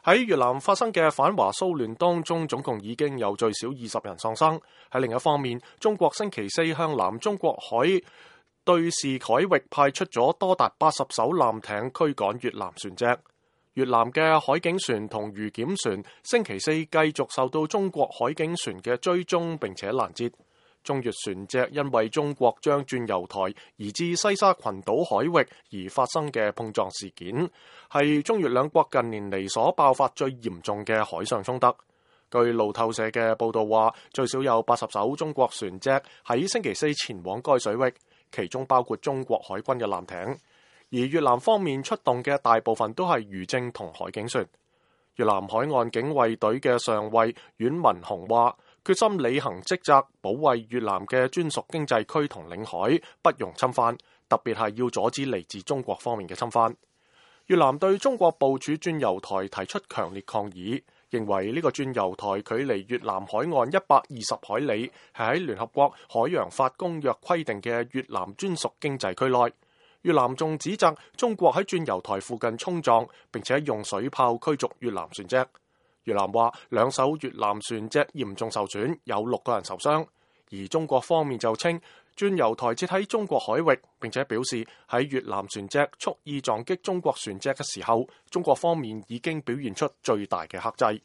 喺越南發生嘅反華騷亂當中，總共已經有最少20人喪生。喺另一方面，中國星期四向南中國海對峙海域派出咗多達80艘艦艇驅趕越南船隻。越南嘅海警船同漁檢船星期四繼續受到中國海警船嘅追蹤並且攔截。中越船隻因為中國將鑽油台移至西沙群島海域而發生嘅碰撞事件，係中越兩國近年嚟所爆發最嚴重嘅海上衝突。據路透社嘅報導話，最少有80艘中國船隻喺星期四前往該水域，其中包括中國海軍嘅艦艇，而越南方面出動嘅大部分都係漁政同海警船。越南海岸警衛隊嘅上尉阮文雄話，決心履行職責，保衛越南嘅專屬經濟區同領海，不容侵犯，特別係要阻止嚟自中國方面嘅侵犯。越南對中國部署鑽油台提出強烈抗議，認為呢個鑽油台距離越南海岸120海里，係喺聯合國海洋法公約規定嘅越南專屬經濟區內。越南仲指責中國喺鑽油台附近衝撞，並且用水炮驅逐越南船隻。越南話2艘越南船隻嚴重受損，有6個人受傷。而中國方面就稱鑽油台設喺中國海域，並且表示喺越南船隻蓄意撞擊中國船隻嘅時候，中國方面已經表現出最大嘅克制。